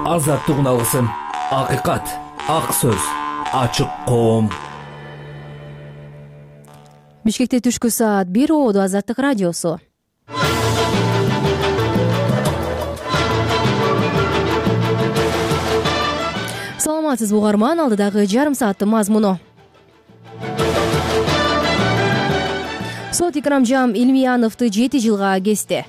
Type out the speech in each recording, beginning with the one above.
азаттык уналысын, акыйкат, ак сөз, ачык коом. Бишкекте түшкү саат 1 Ободо Азаттык радиосу. Саламатсызбы угарман, алдыдагы жарым сааттын мазмуну. Сот Икрамжан Илмияновду 7 жылга кести.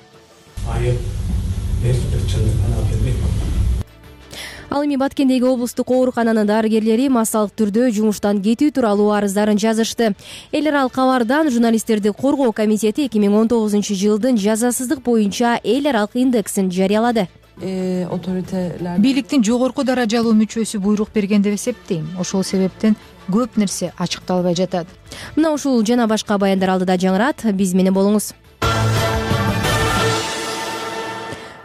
Ал эми Баткендеги облустук оорукананын дарыгерлери массалык түрдө жумуштан кетүү тууралуу арыздарын жазышты. Эл аралык кабардан журналисттерди коргоо комитети 2019 жылдын жазасыздык боюнча эл аралык индексин жарыялады. Бийликтин жогорку даражалуу мүчөсү буйрук берген деп эсептейм. Ошол себептен көп нерсе ачыкталбай жатат. Мына ушул жана башка баяндар алдыда жаңырат. Биз менен болуңуз.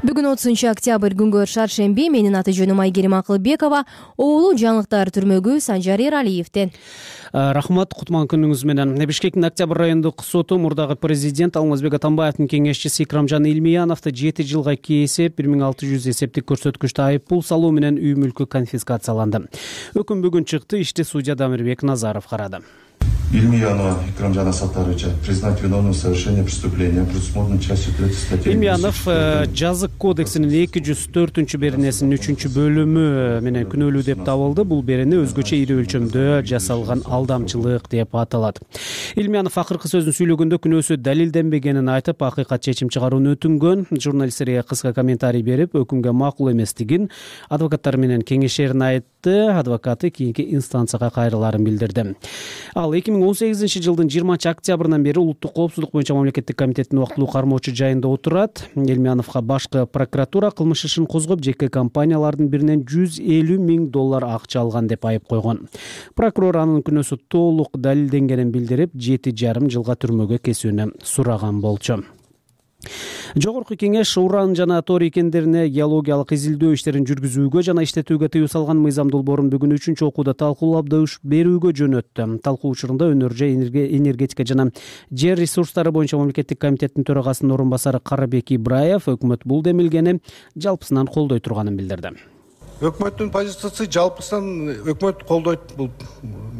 Бүгүн 30 октябрь күнгө шаршемби. Менин аты жөнүм Айгерим Акылбекова. Оолу жаңылыктар түрмөгү Санжар Эралиевден. Рахмат, кутман күнүңүз менен. Бишкектин Октябрь райондук соту мурдагы президент Алмазбек Атамбаевдин кеңешчиси Икрамжан Илмияновду 7 жылга кесип, 1600 эсептик көрсөткүчтө айыппул салуу менен үй мүлкү конфискацияланды. Өкүм бүгүн чыкты. Ишти судья Дамирбек Назаров карады. Илмиянова Икрамжана Саттаровича признать виновным в совершении преступления, предусмотренной частью 3 статьи. Илмиянов жазык кодексинин 204 беренесинин 3 бөлүмү менен күнөөлүү деп табылды. Бул берене өзгөчө ири өлчөмдө жасалган алдамчылык деп аталат. Илмиянов акыркы сөзүн сүйлөгөндө күнөөсү далилденбегенин айтып, акыйкат чечим чыгарууну өтүнгөн. Журналисттерге кыска комментарий берип, өкүмгө макул эместигин адвокаттар менен кеңешерин айтты. Адвокаты кийинки инстанцияга кайрыларын билдирди. Ал 2018 жылдын 20 октябрынан бери улуттук коопсуздук боюнча мамлекеттик комитеттин убактылуу кармоочу жайында отурат. Илмияновго башкы прокуратура кылмыш ишин козгоп, жеке компаниялардын биринен $150 000 акча алган деп айып койгон. Прокурор анын күнөөсү толук далилденгенин билдирип, 7,5 жылга түрмөгө кесүүнү сураган болчу. Жогорку кеңеш уран жана торий кендерине геологиялык изилдөө иштерин жүргүзүүгө жана иштетүүгө тыюу салган мыйзам долбоорун бүгүн 3 окууда талкуулап берүүгө жөнөттү. Талкуу учурунда Өнөр энергетика жана жер ресурстары боюнча мамлекеттик комитеттин төрагасынын орун басары Карабек Ибраев өкмөт бул демилгени жалпысынан колдой турганын билдирди. Өкмөттүн позициясы жалпысынан өкмөт колдойт бул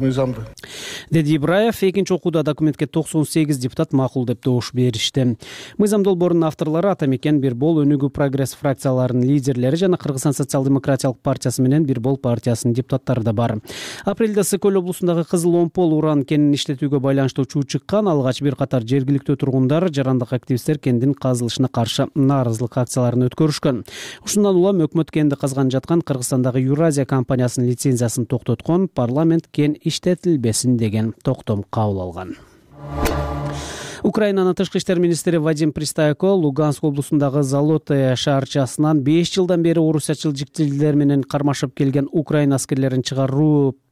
мыйзамды, деди Ибраев. Экинчи окууда документке 98 депутат макул деп добуш беришти. Мыйзам долбоорунун авторлору Атамекен, Бирбол, Өнүгүү Прогресс фракцияларынын лидерлери жана Кыргызстан социал-демократиялык партиясы менен Бирбол партиясынын депутаттары да бар. Апрелде Сыкөл облусундагы Кызыл Омпол уран кенин иштетүүгө байланыштуу чуу чыккан. Алгач бир катар жергиликтүү тургундар, жарандык активисттер кендин казылышына каршы нааразылык акцияларын өткөрүшкөн. Ушундан улам өкмөт кенди казган жаткан Кыргызстандагы Юразия компаниясынын лицензиясын токтоткон. Парламент кен иштетилбесин деген токтом кабыл алган. Украинанын тышкы иштер министри Вадим Пристайко Луганск облусундагы Золотое шаарчасынан 5 жылдан бери орусячыл жиктилер менен кармашып келген Украина аскерлерин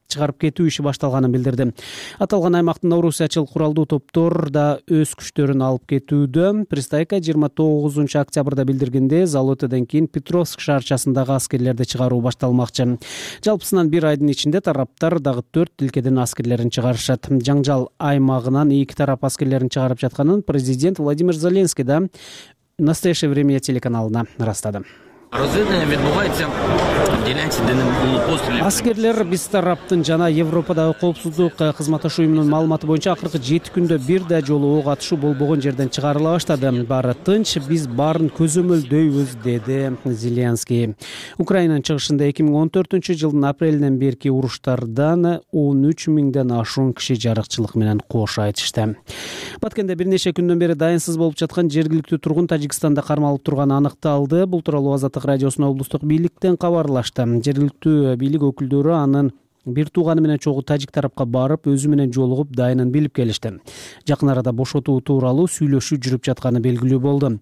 чыгарып кетүү иши башталганын билдирди. Аталган аймактын орусячыл куралдуу топтор да өз күчтөрүн алып кетүүдө. Пристайко 29 октябрда билдиргенде, Золотодон кийин Петровск шаарчасындагы аскерлерди чыгаруу башталмакчы. Жалпысынан бир айдын ичинде тараптар дагы 4 тилкеден аскерлерин чыгарышат. Жаңжал аймагынан эки тарап аскерлерин чыгарып жатканын президент Владимир Зеленский да «Настоящее время» телеканалына ырастады. Аскерлер биз тараптын жана Европадагы коопсуздук кызматташуу уюмунун маалыматы боюнча акыркы 7 күндө бир да жолу ок атышуу болбогон жерден чыгарыла баштады. Баары тынч, биз баарын көзөмөлдөйбүз, деди Зеленский. Украинанын чыгышында 2014 жылдын апрелинен берки уруштардан 13 миңден ашуун киши жарыкчылык менен кош айтышты. Баткенде бир нече күндөн бери дайынсыз болуп жаткан жергиликтүү тургун Тажикстанда кармалып турганы аныкталды. Бул тууралуу Азаттык радиосуна облустук бийликтен кабарлашты. Жергиликтүү бийлик өкүлдөрү анын бир тууганы менен чогуу тажик тарапка барып, өзү менен жолугуп, дайынын билип келишти. Жакын арада бошотуу тууралуу сүйлөшүү жүрүп жатканы белгилүү болду.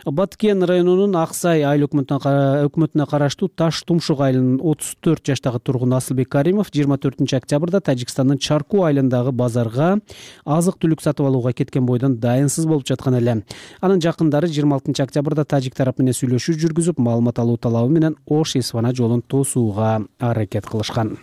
Баткен районунун Аксай айыл өкмөтүнө караштуу Таш Тумшук айылынын 34 жаштагы тургуну Асылбек Каримов 24 октябрда Тажикстандын Чарку айылындагы базарга азык-түлүк сатып алууга кеткен бойдон дайынсыз болуп жаткан эле. Анын жакындары 26 октябрда тажик тарап менен сүйлөшүү жүргүзүп, маалымат алуу талабы менен Ош-Исфана жолун тосууга аракет кылышкан.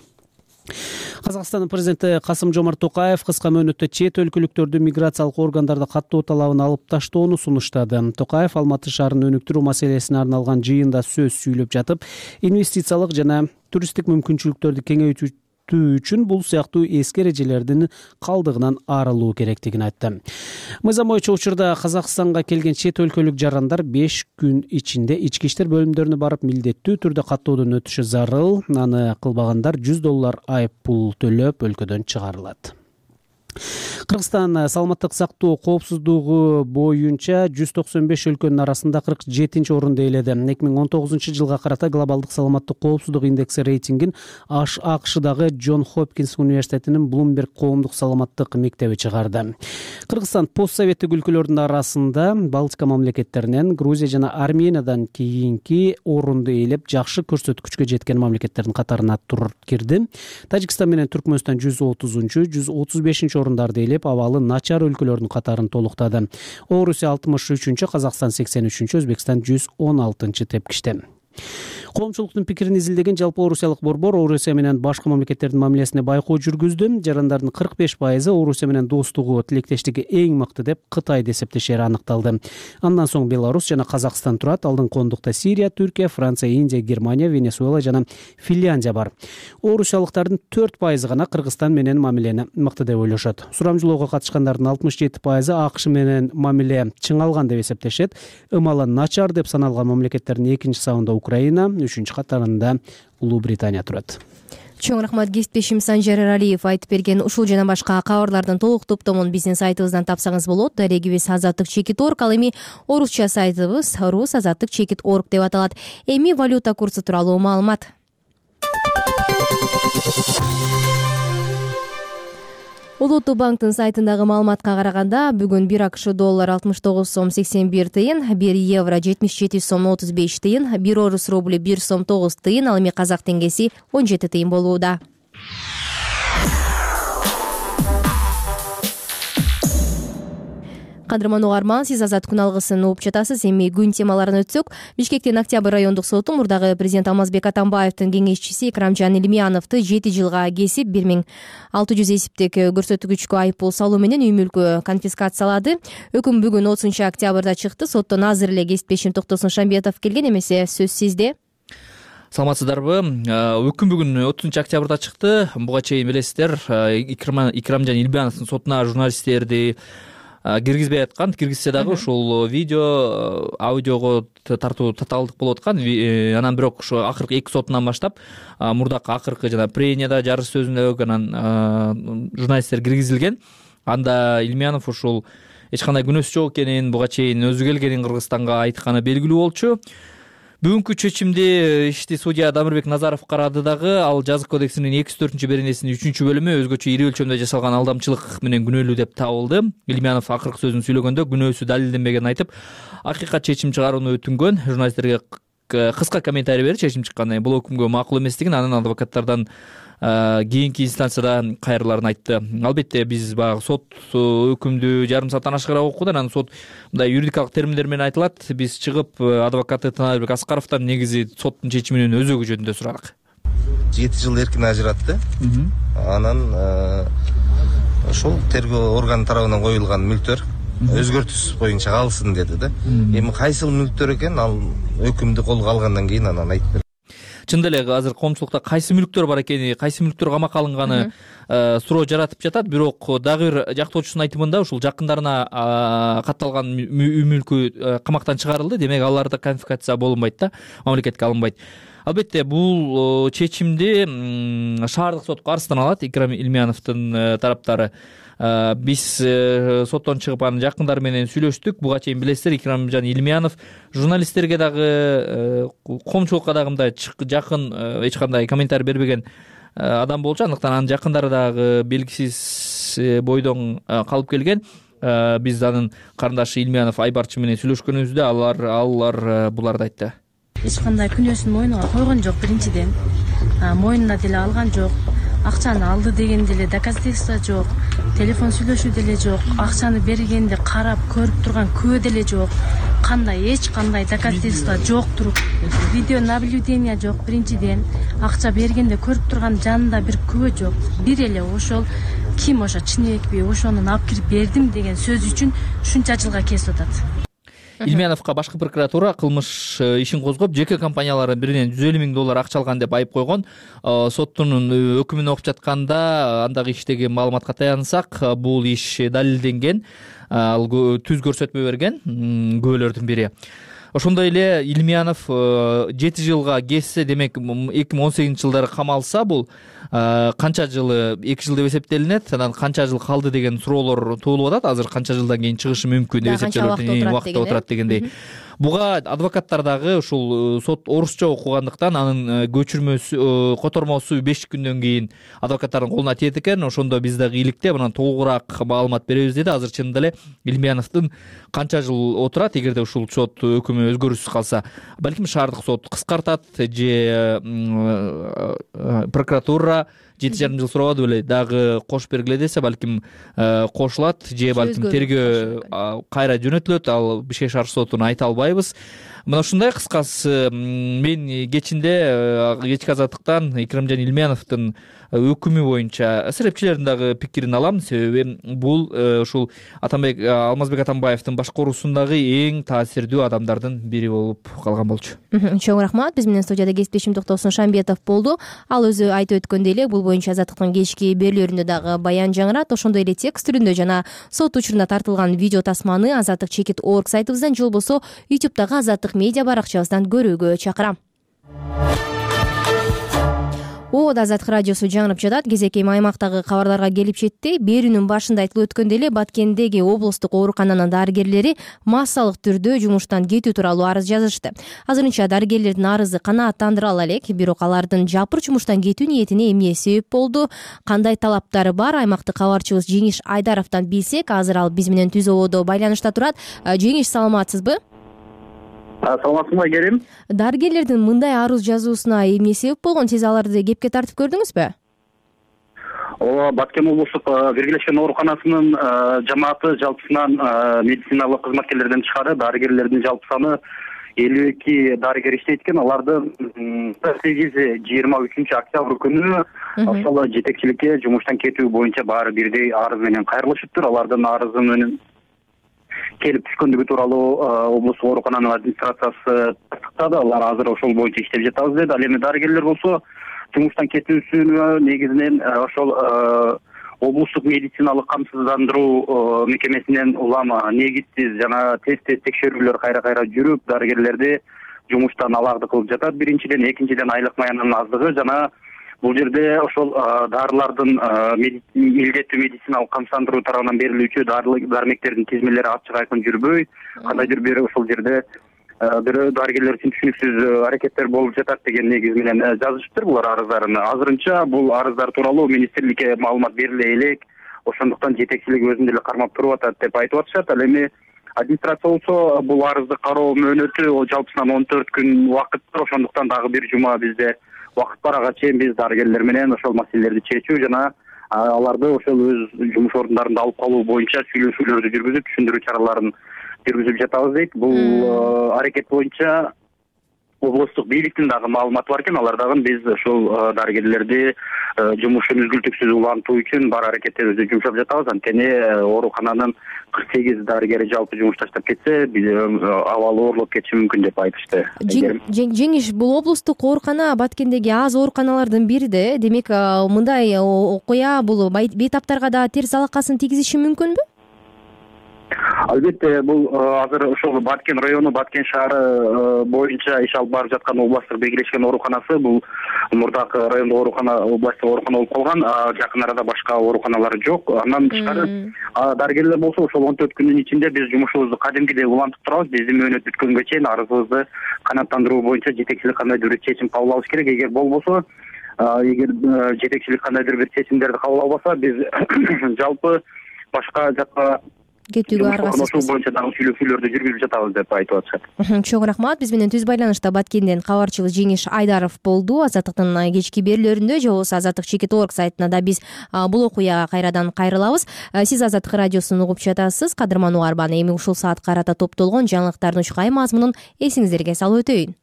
Казакстандын президенти Касым-Жомарт Токаев кыска мөөнөттө чет өлкөлүктөрдү миграциялык органдарда каттоо талабын алып таштоону сунуштады. Токаев Алматы шаарын өнүктүрүү маселесине арналган жыйында сөз сүйлөп жатып, инвестициялык жана туристтик мүмкүнчүлүктөрдү кеңейтүү үчүн бул сыяктуу эски эрежелердин калдыгынан арылуу керектигин айтты. Мыйзам боюнча учурда Казакстанга келген чет өлкөлүк жарандар 5 күн ичинде ички иштер бөлүмдөрүнө барып милдеттүү түрдө каттоодон өтүшү зарыл. Аны кылбагандар $100 айып пул төлөп өлкөдөн чыгарылат. Кыргызстан саламаттык сактоо коопсуздугу боюнча 195 өлкөнүн арасында 47 орунду ээледи. 2019 жылга карата глобалдык саламаттык коопсуздук индекси рейтингин АКШдагы Джон Хопкинс университетинин Bloomberg коомдук саламаттык мектеби чыгарды. Кыргызстан постсоветтик өлкөлөрдүн арасында Балтика мамлекеттеринен, Грузия жана Армениядан кийинки орунду ээлеп, жакшы көрсөткүчкө жеткен мамлекеттердин катарына кирди. Тажикстан менен Түркмөнстан 130-чу, 135-чи орундарды ээлеп, абалы начар өлкөлөрдүн катарын толуктады. Орусия 63-чү, Казакстан 83-чү, Өзбекстан 116-чы тепкичте. Коомчулуктун пикирин изилдеген жалпы орусиялык борбор Орусия менен башка мамлекеттердин мамилесине байкоо жүргүздү. Жарандардын 45% Орусия менен достугу, тилектештиги эң мыкты деп Кытайды эсептешери аныкталды. Андан соң Беларусь жана Казакстан турат. Алдыңкы ондукта Сирия, Түркия, Франция, Индия, Германия, Венесуэла жана Финляндия бар. Орусиялыктардын 4% гана Кыргызстан менен мамилени мыкты деп ойлошот. Сурамжылоого катышкандардын 67% АКШ менен мамиле чыңалган деп эсептешет. Ымалы начар деп саналган мамлекеттердин экинчи сабында Украина, 3-чү катарында Улуу Британия турат. Чоң рахмат кесиптешим Санжар Эралиев айтып берген ушул жана башка кабарлардын толук топтомун биздин сайтыбыздан тапсаңыз болот. Дарегибиз azatlyk.org, ал эми орусча сайтыбыз rus.azatlyk.org деп аталат. Эми валюта курсу тууралуу маалымат. Улуттук банктын сайтындагы маалыматка караганда, бүгүн 1 АКШ доллар 69 сом 81 тыйын, 1 евро 77 сом 35 тыйын, 1 орус рубли 1 сом 9 тыйын, ал эми казак теңгеси 17 тыйын болууда. Кадырман угарман, сиз Азат күн алгысын угуп жатасыз. Эми күн темаларын өтсөк, Бишкектин Октябрь райондук соту мурдагы президент Алмазбек Атамбаевдин кеңешчиси Икрамжан Илмияновду 7 жылга кесип 1600 эсептик көрсөткүчкө айып пул салуу менен үй мүлкү конфискациялады. Өкүм бүгүн 30 октябрда чыкты. Соттон азыр эле кесиптешим Токтосун Шамбетов келген, эмесе сөз сизде. Саламатсыздарбы? Өкүм бүгүн 30 октябрда чыкты. Буга чейин билесиздер, Икрамжан Илмияновдун сотуна журналисттерди киргизбей аткан, киргизсе дагы ушул видео, аудиого тартуу татаалдык болуп аткан. Анан бирок ушу акыркы 2 сотунан баштап мурдакы акыркы жана пренияда, жарыш сөзүндө анан журналисттер киргизилген. Анда Илмиянов ушул эч кандай күнөөсү жок экенин, буга чейин өзү келгенин Кыргызстанга айтканы белгилүү болчу. Бүгүнкү чечимди ишти судья Дамирбек Назаров карады дагы. Ал жазык кодексинин 204-беренесинин 3-бөлүмү өзгөчө ири өлчөмдө жасалган алдамчылык менен күнөөлүү деп табылды. Илмиянов акыркы сөзүн сүйлөгөндө күнөөсү далилденбегенин айтып, акыйкат чечим чыгарууну өтүнгөн. Журналисттерге кыска комментарий берип чечим чыккан. Бул өкүмгө макул эместигин, анын адвокаттардан кийинки инстанцияда кайрыларын айтты. Албетте биз баягы сот өкүмдү жарым сааттан ашыгыраак окудук. Анан сот мындай юридикалык терминдер менен айтылат. Биз чыгып адвокаты Таналбек Аскаровдон негизи соттун чечиминин өзөгү жөнүндө сурадык. 7 жыл эркин ажыратты. Анан ошол тергөө органы тарабынан коюлган мүлктөр өзгөртүүсүз боюнча калсын деди да. Эми кайсыл мүлктөр экен, ал өкүмдү колго алгандан кийин анан айтып берди. Чындап эле азыр коомчулукта кайсы мүлктөр бар экени, кайсы мүлктөр камакка алынганы суроо жаратып жатат. Бирок дагы бир жактоочусунун айтымында ушул жакындарына катталган үй мүлкү камактан чыгарылды. Демек аларда конфискация болунбайт да, мамлекетке алынбайт. Албетте бул чечимди шаардык сотко арызданат Икрам Илмияновдун тараптары. Биз соттон чыгып анын жакындары менен сүйлөштүк. Буга чейин билесиздер, Икрамжан Илмиянов журналисттерге дагы, коомчулукка дагы мындай жакын эч кандай комментарий бербеген адам болчу. Андыктан анын жакындары дагы белгисиз бойдон калып келген. Биз анын карындашы Илмиянов Айбарчы менен сүйлөшкөнүбүздө алар буларды айтты. Эч кандай күнөөсүн мойнуна койгон жок. Биринчиден мойнуна деле алган жок. Акчаны алды деген деле доказательство жок. телефон сүйлөшүү деле жок, акчаны бергенде карап көрүп турган күбө деле жок, эч кандай доказательство жоктур, видео наблюдение жок. Биринчиден акча бергенде көрүп турган жанында бир күбө жок. Бир эле ошол ким ошо чынбекпи, ошону алып кирип бердим деген сөз үчүн ушунча жылга кесип атат. Илмяновго башкы прокуратура кылмыш ишин козгоп, жеке компаниялардын биринен $150,000 акча алган деп айып койгон. Соттун өкүмүн окуп жатканда андагы иштеги маалыматка таянсак, бул иш далилденген. Ал түз көрсөтмө берген күбөлөрдүн бири. Ошондой эле Илмянов 7 жылга кессе, демек 2018-жылдары камалса, бул канча жылы, 2 жыл деп эсептелинет, анан канча жыл калды деген суроолор туулуп атат. Азыр канча жылдан кийин чыгышы мүмкүн деп эсептелет, убакытта отурат дегендей. Буга адвокаттар дагы ушул сот орусча окугандыктан анын көчүрмөсү, котормосу 5 күндөн кийин адвокаттардын колуна тиет экен. Ошондо биз дагы иликтеп анан толугураак маалымат беребиз деди. Азыр чынында эле Илмяновдун канча жыл отурат, эгерде ушул сот өкүмү өзгөрүүсүз калса? Балким шаардык сот кыскартат же прокуратура 7,5 жыл сурабады беле, дагы кошуп бергиле десе, балким кошулат же балким тергөө кайра жөнөтүлөт. Ал Бишкек шаар сотуна айта албайбыз. Мына ушундай кыскасы. Мен кечки азаттыктан Икрамжан Илмяновдун өкүмү боюнча серепчилердин дагы пикирин алам. Себеби бул ушул Алмазбек Атамбаевдин башкаруусундагы эң таасирдүү адамдардын бири болуп калган болчу. Чоң рахмат. Биз менен студияда кесиптешим Токтосун Шамбетов болду. Ал өзү айтып өткөндөй эле бул боюнча азаттыктын кечки берүүлөрүндө дагы баян жаңырат. Ошондой эле текст түрүндө жана сот учуруна тартылган видео тасманы azattik.org сайтыбыздан же болбосо YouTube'дагы Азаттык медиа баракчабыздан көрүүгө чакырам. Азаттык радиосу жаңырып жатат. Кезекей аймактагы кабарларга келип жетти. Берүүнүн башында айтылып өткөндөй эле Баткендеги облустук оорукананын дарыгерлери массалык түрдө жумуштан кетүү тууралуу арыз жазышты. Азырынча дарыгерлердин арызы канааттандыра ала элек, бирок алардын жапыр жумуштан кетүү ниетине эмне себеп болду, кандай талаптары бар, аймактык кабарчыбыз Жеңиш Айдаровдон билсек. Азыр ал биз менен түз ободо байланышта турат. Жеңиш, саламатсызбы? Саламатсызбы, Керим? Дарыгерлердин мындай арыз жазуусуна эмне себеп болгон? Сиз аларды кепке тартып көрдүңүзбү? Ооба, Баткен облустук биргелешкен ооруканасынын жамааты жалпысынан медициналык кызматкерлерден тышкары дарыгерлердин жалпы саны 52 дарыгер иштейт экен. Алардын 8-23 октябрь күнү ошол жетекчиликке жумуштан кетүү боюнча баары бирдей арыз менен кайрылышыптыр. Алардын арызы менен келип түшкөндүгү тууралуу облустук оорукананын администрациясы тастыктады. Алар азыр ошол боюнча иштеп жатабыз деди. Ал эми дарыгерлер болсо жумуштан кетүүсүнө негизинен ошол облустук медициналык камсыздандыруу мекемесинен улам негизсиз жана тест текшерүүлөр кайра жүрүп, дарыгерлерди жумуштан аларды кылып жатат. Биринчиден, экинчиден айлык маянанын аздыгы жана бул жерде ошол дарылардын илдеттүү медициналык камсыздандыруу тарабынан берилүүчү дармектердин тизмелери ачык айкын жүрбөй, кандайдыр бир ошол жерде бир дарыгерлер үчүн түшүнүксүз аракеттер болуп жатат деген негиз менен жазышыптыр булар арыздарын. Азырынча бул арыздар тууралуу министрликке маалымат бериле элек, ошондуктан жетекчилик өзүн деле кармап туруп атат деп айтып атышат. Ал эми администрация болсо бул арызды кароо мөөнөтү жалпысынан 14 күн убакыт бар. Ошондуктан дагы бир жума бизде убакыт бар. Ага чейин биз дарыгерлер менен ошол маселелерди чечүү жана аларды ошол өз жумуш орундарында алып калуу боюнча сүйлөшүүлөрдү жүргүзүп, түшүндүрүү чараларын жүргүзүп жатабыз дейт. Бул аракет боюнча облустук бийликтин дагы маалыматы бар экен. Алар дагы биз ошол дарыгерлерди жумушун үзгүлтүксүз улантуу үчүн бар аракеттерибизди жумшап жатабыз. Анткени оорукананын 48 дарыгери жалпы жумуш таштап кетсе, биз абалы оорлоп кетиши мүмкүн деп айтышты. Жеңиш, бул облустук оорукана Баткендеги аз ооруканалардын бири да. Демек, мындай окуя бул бейтаптарга да терс алакасын тийгизиши мүмкүнбү? Албетте, бул азыр ошол Баткен району, Баткен шаары боюнча иш алып барып жаткан областтык биргелешкен ооруканасы бул мурдакы райондук оорукана, областтык оорукана болуп калган. Жакын арада башка ооруканалар жок. Андан тышкары дарыгерлер болсо ошол 14 күндүн ичинде биз жумушубузду кадимкидей улантып турабыз. Биздин мөөнөт бүткөнгө чейин арызыбызды канааттандыруу боюнча жетекчилик кандайдыр бир чечим кабыл алыш керек. Эгер болбосо, эгер жетекчилик кандайдыр бир чечимдерди кабыл албаса, биз жалпы башка жакка кетүүгө аргасызбыз. Ошол боюнча дагы сүйлөшүүлөрдү жүргүзүп жатабыз деп айтып атышат. Чоң рахмат. Биз менен түз байланышта Баткенден кабарчы Жеңиш Айдаров болду. Азаттыктын кечки берүүлөрүндө же болбосо Азаттык Чекит.org сайтына да биз бул окуяга кайрадан кайрылабыз. Сиз Азаттык радиосун угуп жатасыз. Кадырман угарман, эми ушул саатка карата топтолгон жаңылыктардын учкай мазмунун эсиңиздерге салып өтөйүн.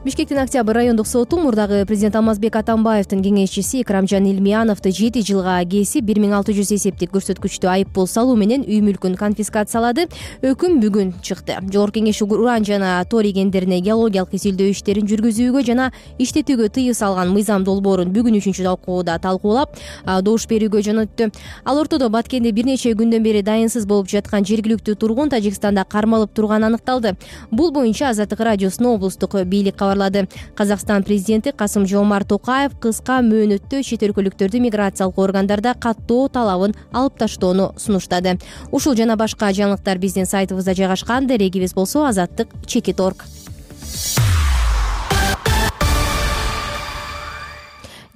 Бишкектин Октябрь райондук соту мурдагы президент Алмазбек Атамбаевдин кеңешчиси Икрамжан Илмияновду 7 жылга кесип 1600 эсептик көрсөткүчтүү айыппул салуу менен үй мүлкүн конфискациялады. Өкүм бүгүн чыкты. Жогорку Кеңеш уран жана тори кендерине геологиялык изилдөө иштерин жүргүзүүгө жана иштетүүгө тыюу салган мыйзам долбоорун бүгүн 3-чү окууда талкуулап, добуш берүүгө жөнөттү. Ал ортодо Баткенде бир нече күндөн бери дайынсыз болуп жаткан жергиликтүү тургун Тажикстанда кармалып турганы аныкталды. Бул боюнча Азаттык радиосуна облустук бийлик Казакстан президенти Касым-Жомарт Токаев кыска мөөнөттө чет өлкөлүктөрдү миграциялык органдарда каттоо талабын алып таштоону сунуштады. Ушул жана башка жаңылыктар биздин сайтыбызда жайгашкан. Дарегибиз болсо Азаттык Чекит.org.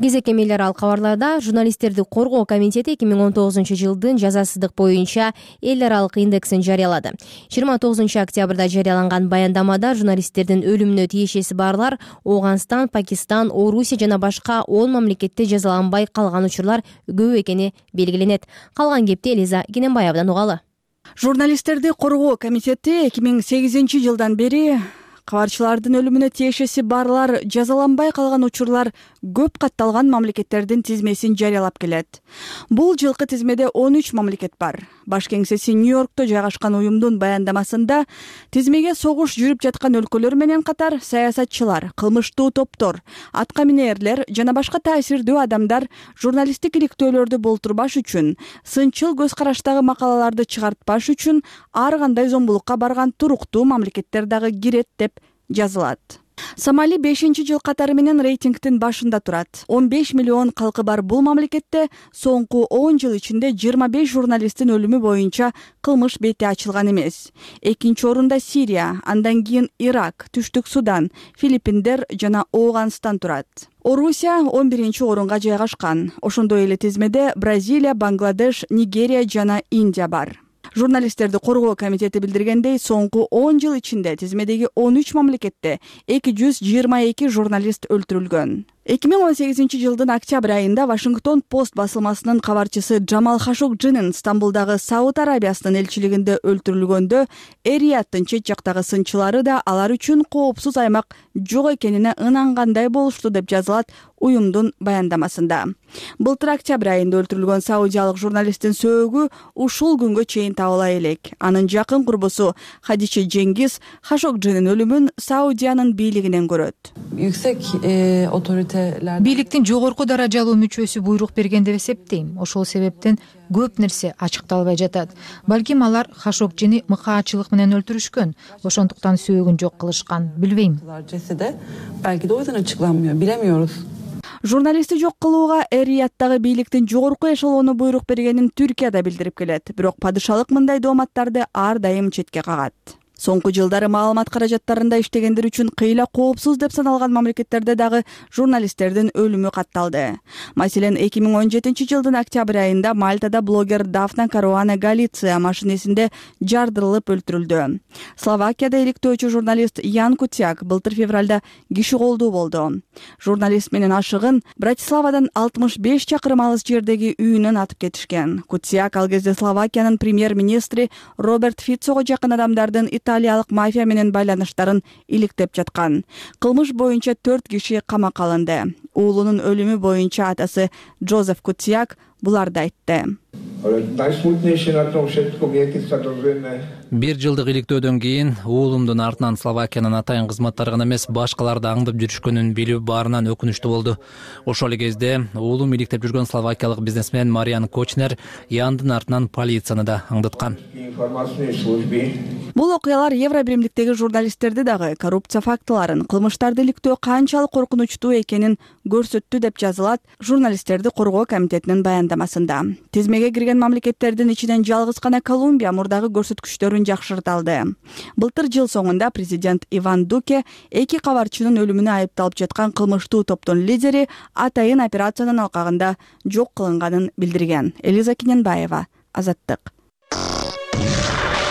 Кезек эмелер ал кабарларда журналисттерди коргоо комитети 2019-жылдын жазасыздык боюнча эл аралык индексин жарыялады. 29-октябрда жарыяланган баяндамада журналисттердин өлүмүнө тиешеси барлар Ооганстан, Пакистан, Орусия жана башка 10 мамлекетте жазаланбай калган учурлар көп экени белгиленет. Калган кепти Элиза Кененбаевдан угалы. Журналисттерди коргоо комитети 2008-жылдан бери кабарчылардын өлүмүнө тиешеси барлар жазаланбай калган учурлар көп катталган мамлекеттердин тизмесин жарыялап келет. Бул жылкы тизмеде 13 мамлекет бар. Баш кеңсеси Нью-Йоркто жайгашкан уюмдун баяндамасында тизмеге согуш жүрүп жаткан өлкөлөр менен катар саясатчылар, кылмыштуу топтор, атка минээрлер жана башка таасирдүү адамдар журналисттик иликтөөлөрдү болтурбаш үчүн, сынчыл көз караштагы макалаларды чыгартпаш үчүн ар кандай зомбулукка барган туруктуу мамлекеттер дагы кирет деп жазылат. Сомали 5-жыл катары менен рейтингдин башында турат. 15 миллион калкы бар бул мамлекетте соңку 10 жыл ичинде 25 журналисттин өлүмү боюнча кылмыш бети ачылган эмес. Экинчи орунда Сирия, андан кийин Ирак, Түштүк Судан, Филиппиндер жана Ооганстан турат. Орусия 11-орунга жайгашкан. Ошондой эле тизмеде Бразилия, Бангладеш, Нигерия жана Индия бар. Журналисттерди коргоо комитети билдиргендей, соңку 10 жыл ичинде тизмедеги 13 мамлекетте 222 журналист өлтүрүлгөн. 2018-жылдын октябрь айында Вашингтон Пост басылмасынын кабарчысы Джамал Хашогджинин Стамбулдагы Сауд Арабиясынын элчилигинде өлтүрүлгөндө эр-Рияттын чет жактагы сынчылары да алар үчүн коопсуз аймак жок экенине ынангандай болушту деп жазылат уюмдун баяндамасында. Былтыр октябрь айында өлтүрүлгөн саудиялык журналисттин сөөгү ушул күнгө чейин табыла элек. Анын жакын курбусу Хадиче Жеңгиз Хашогджинин өлүмүн Саудиянын бийлигинен көрөт. Бийликтин жогорку даражалуу мүчөсү буйрук берген деп эсептейм. Ошол себептен көп нерсе ачыкталбай жатат. Балким алар Хашогджини мыкаачылык менен өлтүрүшкөн. Ошондуктан сөөгүн жок кылышкан. Билбейм. Журналистти жок кылууга эр-Рияттагы бийликтин жогорку эшелону буйрук бергенин Түркия да билдирип келет. Бирок падышалык мындай дооматтарды ар дайым четке кагат. Соңку жылдары маалымат каражаттарында иштегендер үчүн кыйла коопсуз деп саналган мамлекеттерде дагы журналисттердин өлүмү катталды. Маселен, 2017-жылдын октябрь айында Мальтада блогер Дафна Каруана Галиция машинесинде жардырылып өлтүрүлдү. Словакияда иликтөөчү журналист Ян Кутяк былтыр февралда киши колдуу болду. Журналист менен ашыгын Братиславадан 65 чакырым алыс жердеги үйүнөн атып кетишкен. Кутяк ал кезде Словакиянын премьер-министри Роберт Фицого жакын адамдардын италиялык мафия менен байланыштарын иликтеп жаткан. Кылмыш боюнча 4 киши камакка алынды. Уулунун өлүмү боюнча атасы Джозеф Кутяк буларды айтты. Бир жылдык иликтөөдөн кийин уулумдун артынан Словакиянын атайын кызматтары гана эмес, башкаларды аңдып жүрүшкөнүн билүү баарынан өкүнүчтүү болду. Ошол эле кезде уулум иликтеп жүргөн словакиялык бизнесмен Мариан Кочнер Яндын артынан полицияны да аңдыткан. Бул окуялар Евро биримдиктеги журналисттерди дагы коррупция фактыларын, кылмыштарды иликтөө канчалык коркунучтуу экенин көрсөттү деп жазылат журналисттерди коргоо комитетинин баяндамасында. Тизмеге кирген мамлекеттердин ичинен жалгыз гана Колумбия мурдагы көрсөткүчтөрүн жакшырта алды. Былтыр жыл соңунда президент Иван Дуке эки кабарчынын өлүмүнө айыпталып жаткан кылмыштуу топтун лидери атайын операциянын алкагында жок кылынганын билдирген. Элиза Кененбаева, Азаттык.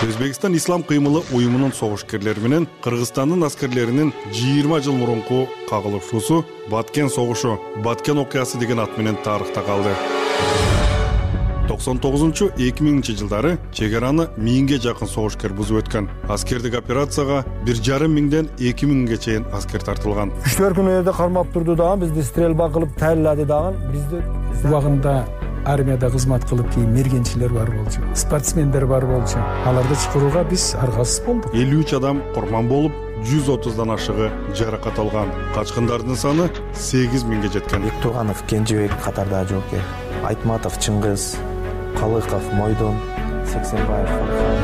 Өзбекстан ислам кыймылы уюмунун согушкерлери менен Кыргызстандын аскерлеринин 20 жыл мурунку кагылышуусу Баткен согушу, Баткен окуясы деген ат менен тарыхта калды. 99-2000 жылдары чек араны 1000ге жакын согушкер бузуп өткөн. Аскердик операцияга 1,5 миңден 2 миңге чейин аскер тартылган. Күчтөр күнү жерде кармап турду дагы, бизди стрельба кылып таялады дагы. Бизди убагында армияда кызмат кылып кийин мергенчилер бар болчу, спортсмендер бар болчу. Аларды чакырууга биз аргасыз болдук. 53 адам курман болуп, 130дан ашыгы жаракат алган. Качкындардын саны 8 миңге жеткен. Бектурганов Кенжебек катардагы жоокер, Айтматов Чыңгыз, Калыков Мойдон, Сексенбаев.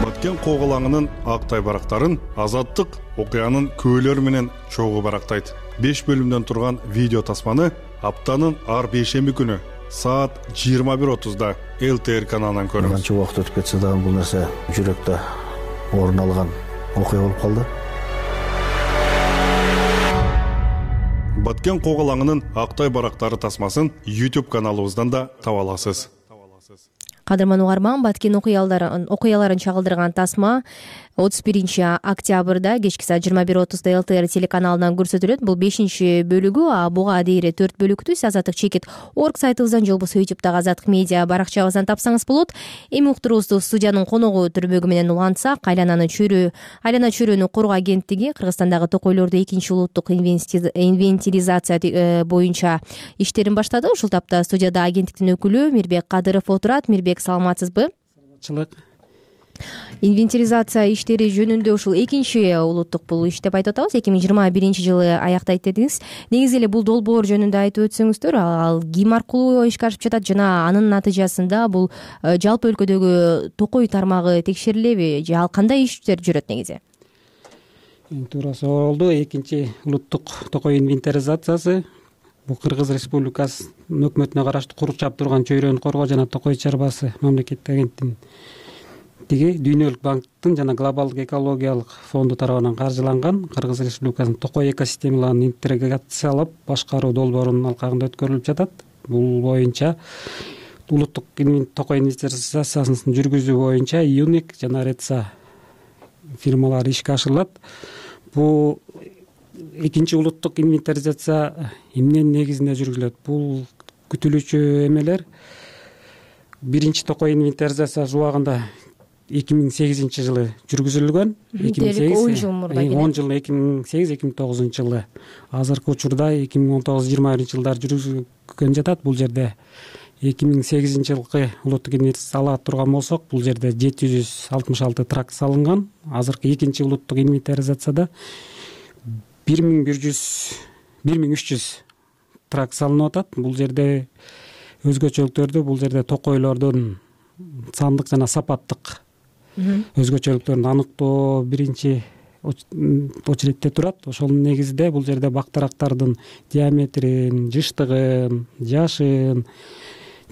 Баткен коголаңынын ак тайбарактарын Азаттык окуянын көөлөрү менен чогуу барактайт. 5 бөлүмдөн турган видео тасманы аптанын ар бейшемби күнү саат 21:30 ЛТР каналынан көрүңүз. Канча убакыт өтүп кетсе дагы бул нерсе жүрөктө орун алган окуя болуп калды. Баткен коголаңынын актай барактары тасмасын YouTube каналыбыздан да таба аласыз. Кадырман угарман, Баткен окуяларын чагылдырган тасма 31 октябрда кечки саат 21:30 ЛТР телеканалынан көрсөтүлөт. Бул 5-бөлүгү, а буга дейре 4 бөлүктүү. Азаттык чекит орг сайтыбыздан же болбосо YouTube'дагы Азаттык медиа баракчабыздан тапсаңыз болот. Эми уктуруубузду студиянын коногу түрмөгү менен улантсак, айлана чөйрөнү коргоо агенттиги Кыргызстандагы токойлорду 2-улуттук инвентаризация боюнча иштерин баштады. Ушул тапта студияда агенттиктин өкүлү Мирбек Кадыров отурат. Мирбек, саламатсызбы? Саламатчылык. Инвентаризация иштери жөнүндө ушул 2-улуттук бул иш деп айтып атабыз. 2021-жылы аяктайт дедиңиз. Негизи эле бул долбоор жөнүндө айтып өтсөңүздөр, ал ким аркылуу ишке ашып жатат жана анын натыйжасында бул жалпы өлкөдөгү токой тармагы текшерилеби же ал кандай иштер жүрөт негизи? Туура болду. 2-улуттук токой инвентаризациясы бул Кыргыз Республикасынын өкмөтүнө караштуу курчап турган чөйрөнү коргоо жана токой чарбасы мамлекеттик агенттигинин Дүйнөлүк банктын жана Глобалдык экологиялык фонду тарабынан каржыланган Кыргыз Республикасынын токой экосистемаларын интеграциялап башкаруу долбоорунун алкагында өткөрүлүп жатат. Бул боюнча улуттук токой инвентаризациясын жүргүзүү боюнча ЮНИК жана РЕЦА фирмалары ишке ашырылат. Бул 2-улуттук инвентаризация эмненин негизинде жүргүзүлөт? Бул күтүлүүчү эмелер 1 токой инвентаризация убагында 2008 жылы жүргүзүлгөн. 10 жыл мурда 2008-2009 жылы. Азыркы учурда 2019-2020 жылдары жүргүзүлгөн жатат. Бул жерде 2008 жылкы улуттук инвентаризация ала турган болсок, бул жерде 766 тракт салынган. Азыркы 2-улуттук инвентаризацияда 1300 тракт салынып атат. Бул жерде өзгөчөлүктөрдү, бул жерде токойлордун сандык жана сапаттык өзгөчөлүктөрүн аныктоо биринчи очередте турат. Ошонун негизинде бул жерде бактарактардын диаметрин, жыштыгын, жашын,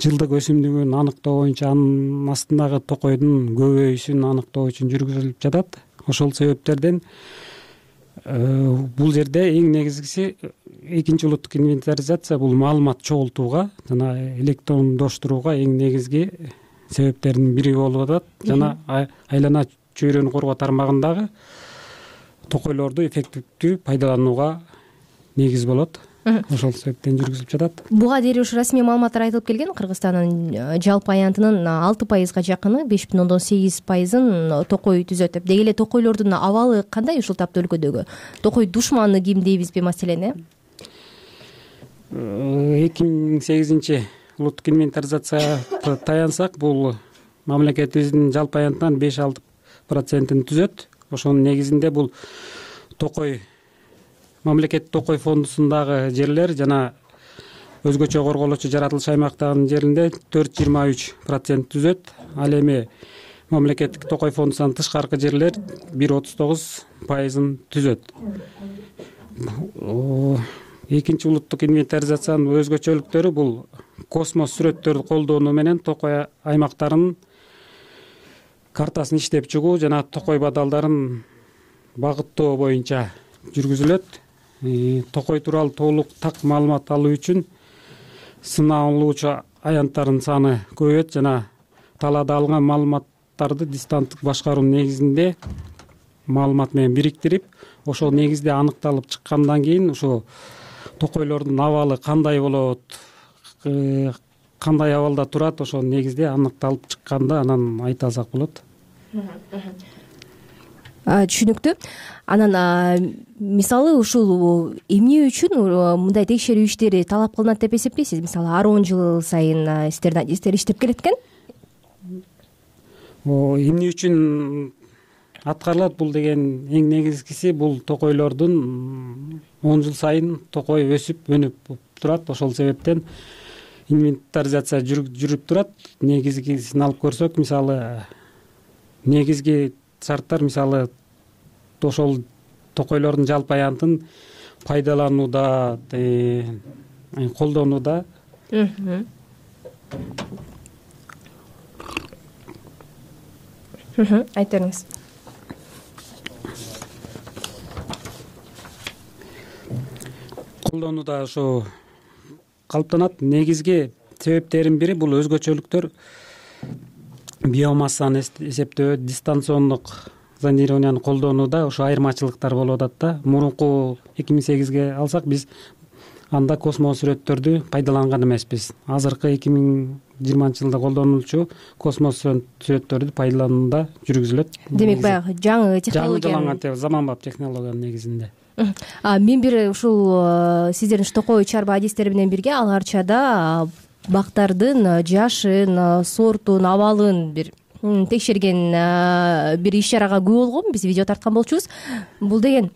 жылдык өсүмдүгүн аныктоо боюнча анын астындагы токойдун көбөйүүсүн аныктоо үчүн жүргүзүлүп жатат. Ошол себептерден бул жерде эң негизгиси 2-улуттук инвентаризация бул маалымат чогултууга жана электрондоштурууга эң негизги себептердин бири болуп атат. Жана айлана чөйрөнү коргоо тармагындагы токойлорду эффективдүү пайдаланууга негиз болот. Ошол себептен жүргүзүлүп жатат. Буга дейре ушу расмий маалыматтар айтылып келген. Кыргызстандын жалпы аянтынын 6%га жакыны, 5,8%ын токой түзөт деп. Деги эле токойлордун абалы кандай ушул тапта өлкөдөгү? Токой душманы ким дейбизби маселени? 2008 улуттук инвентаризацияга таянсак, бул мамлекетибиздин жалпы аянтынан 5-6%-ын түзөт. Ошонун негизинде бул токой мамлекеттик токой фондусундагы жерлер жана өзгөчө корголочу жаратылыш аймактагынын жеринде 4,23% түзөт. Ал эми мамлекеттик токой фондусунан тышкаркы жерлер 1,39%-ын түзөт. 2-улуттук инвентаризациянын өзгөчөлүктөрү бул космос сүрөттөрдү колдонуу менен токой аймактарынын картасын иштеп чыгуу жана токой бадалдарын багыттоо боюнча жүргүзүлөт. Токой тууралуу толук так маалымат алуу үчүн сыналуучу аянттардын саны көбөйөт жана талаада алган маалыматтарды дистанттык башкаруунун негизинде маалымат менен бириктирип, ошол негизде аныкталып чыккандан кийин ошо токойлордун абалы кандай болот, кандай абалда турат, ошол негизде аныкталып чыкканда анан айта алсак болот. Түшүнүктүү. Анан мисалы ушул эмне үчүн мындай текшерүү иштери талап кылынат деп эсептейсиз? Мисалы ар 10 жыл сайын сиздер иштеп келет экен. Эмне үчүн аткарылат бул деген эң негизгиси бул токойлордун 10 жыл сайын токой өсүп өнүп турат. Ошол себептен инвентаризация жүрүп турат. Негизгисин алып көрсөк, мисалы негизги шарттар мисалы ошол токойлордун жалпы аянтын пайдаланууда, колдонууда. Айтыңыз. Колдонууда ошо калыптанат. Негизги себептердин бири бул өзгөчөлүктөр биомассаны эсептөө, дистанциондук зондированияны колдонууда ошо айырмачылыктар болуп атат да. Мурунку 2008-ге алсак биз анда космос сүрөттөрдү пайдаланган эмеспиз. Азыркы 2020-жылда колдонулчу космос сүрөттөрдү пайдаланууда жүргүзүлөт. Демек баягы жаңы технология, жаңы заманбап технологиянын негизинде. Мен бир ушул сиздердин токой чарба адистери менен бирге ал арчада бактардын жашын, сортун, абалын бир текшерген бир иш чарага күбө болгонмун. Биз видео тарткан болчубуз. Бул деген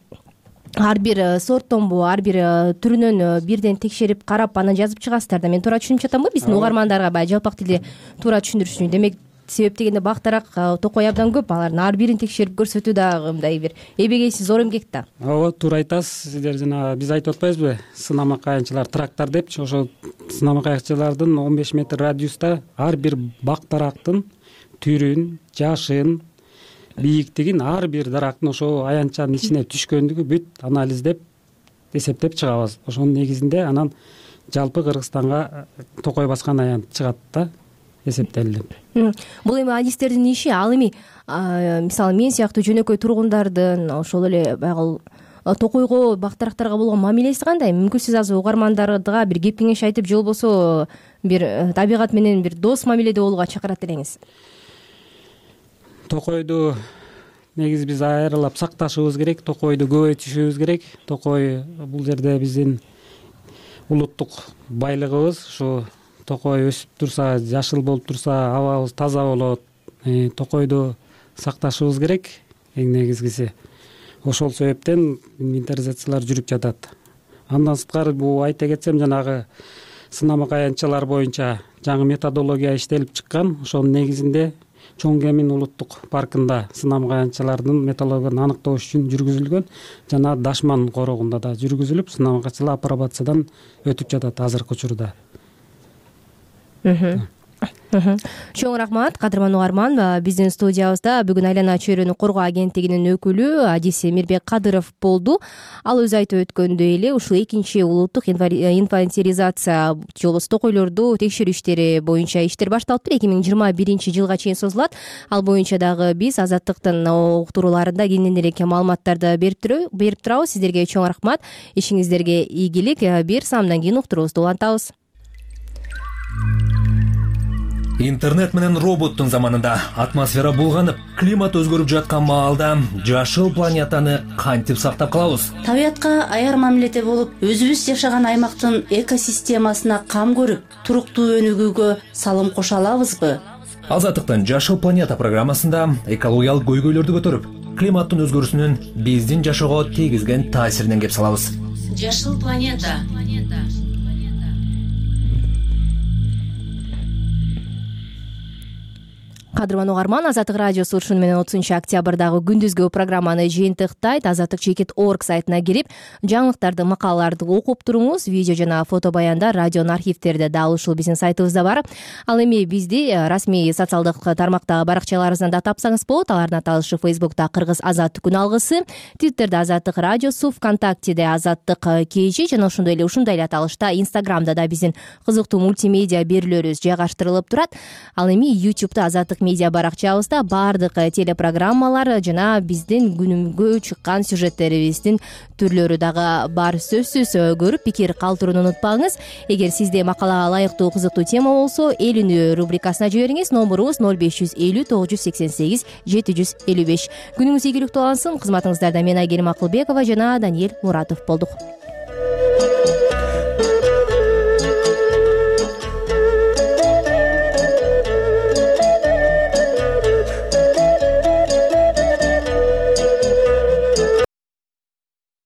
ар бир сорттонбу, ар бир түрүнөн бирден текшерип карап анан жазып чыгасыздар да. Мен туура түшүнүп жатамбы? Биздин угармандарга баягы жалпак тилде туура түшүндүрүш үчүн. Демек себеп дегенде бактарак токой абдан көп. Алардын ар бирин текшерип көрсөтүү дагы мындай бир эбегейсиз зор эмгек да. Ооба, туура айтасыз. Сиздер жана биз айтып атпайбызбы? Сынама каянчылар, трактор депчи. Ошол сынама каянчылардын 15 метр радиуста ар бир бактарактын түрүн, жашын, бийиктигин, ар бир дарактын ошо аянтчанын ичине түшкөндүгү бүт анализдеп, эсептеп чыгабыз. Ошонун негизинде анан жалпы Кыргызстанга токой баскан аянт чыгат да, эсептелип. Бул эми адистердин иши. Ал эми мисалы мен сыяктуу жөнөкөй тургундардын ошол эле баягы токойго, бактарактарга болгон мамилеси кандай? Мүмкүн сиз азыр угармандарга бир кеп кеңеш айтып, же болбосо бир табигат менен бир дос мамиледе болууга чакырат элеңиз? Токойду негизи биз айрылап сакташыбыз керек, токойду көбөйтүшүбүз керек. Токой бул жерде биздин улуттук байлыгыбыз. Ушу токой өсүп турса, жашыл болуп турса, абабыз таза болот. Токойду сакташыбыз керек эң негизгиси. Ошол себептен инвентаризациялар жүрүп жатат. Андан сырткары бул айта кетсем, жанагы сынама каянчалар боюнча жаңы методология иштелип чыккан. Ошонун негизинде Чоң Кемин улуттук паркында сынама каянчалардын методологиясын аныктоо үчүн жүргүзүлгөн. Жана Дашман корогунда да жүргүзүлүп, сынама каянчалар апробациядан өтүп жатат азыркы учурда. Чоң рахмат, кадырман угарман. Биздин студиябызда бүгүн Айлана чөйрөнү коргоо агенттигинин өкүлү адиси Мирбек Кадыров болду. Ал өзү айтып өткөндөй эле ушул экинчи улуттук инвентаризация же болбосо токойлорду текшерүү иштери боюнча иштер башталыптыр. 2021-жылга чейин созулат. Ал боюнча дагы биз Азаттыктын уктурууларында кенен эле маалыматтарды берип турабыз. Сиздерге чоң рахмат. Ишиңиздерге ийгилик. Бир саамдан кийин уктуруубузду улантабыз. Интернет менен роботтун заманында атмосфера булганып, климат өзгөрүп жаткан маалда жашыл планетаны кантип сактап калабыз? Табиятка аяр мамиледе болуп, өзүбүз жашаган аймактын экосистемасына кам көрүп, туруктуу өнүгүүгө салым кошо алабызбы? Азаттыктын Жашыл планета программасында экологиялык көйгөйлөрдү көтөрүп, климаттын өзгөрүүсүнүн биздин жашоого тийгизген таасиринен кеп салабыз. Жашыл планета. кадырман угарман, Азаттык радиосу ушуну менен 30-октябрдагы күндүзгү программаны жыйынтыктайт. azattik.org сайтына кирип, жаңылыктарды, макалаларды окуп туруңуз. Видео жана фото баяндар радионун архивтерде дал ушул биздин сайтыбызда бар. Ал эми бизди расмий социалдык тармактагы баракчаларыбыздан да тапсаңыз болот. Алардын аталышы Facebook'та Кыргыз Азаттык күн алгысы, Twitter'да Азаттык радиосу, ВКонтактеде Азаттык KG жана ушундай эле аталышта Instagram'да да биздин кызыктуу мультимедиа берүүлөрүбүз жайгаштырылып турат. Ал эми YouTube'да Азаттык медиа баракчабызда баардык телепрограммалар жана биздин күнүмгө чыккан сюжеттерибиздин түрлөрү дагы бар. Сөзсүз көрүп пикир калтырууну унутпаңыз. Эгер сизде макалага ылайыктуу кызыктуу тема болсо, эл үнү рубрикасына жибериңиз. Номурубуз 0550 988 755. Күнүңүз ийгиликтүү алсын. Кызматыңыздарда мен Айгерим Акылбекова жана Даниэль Муратов болдук.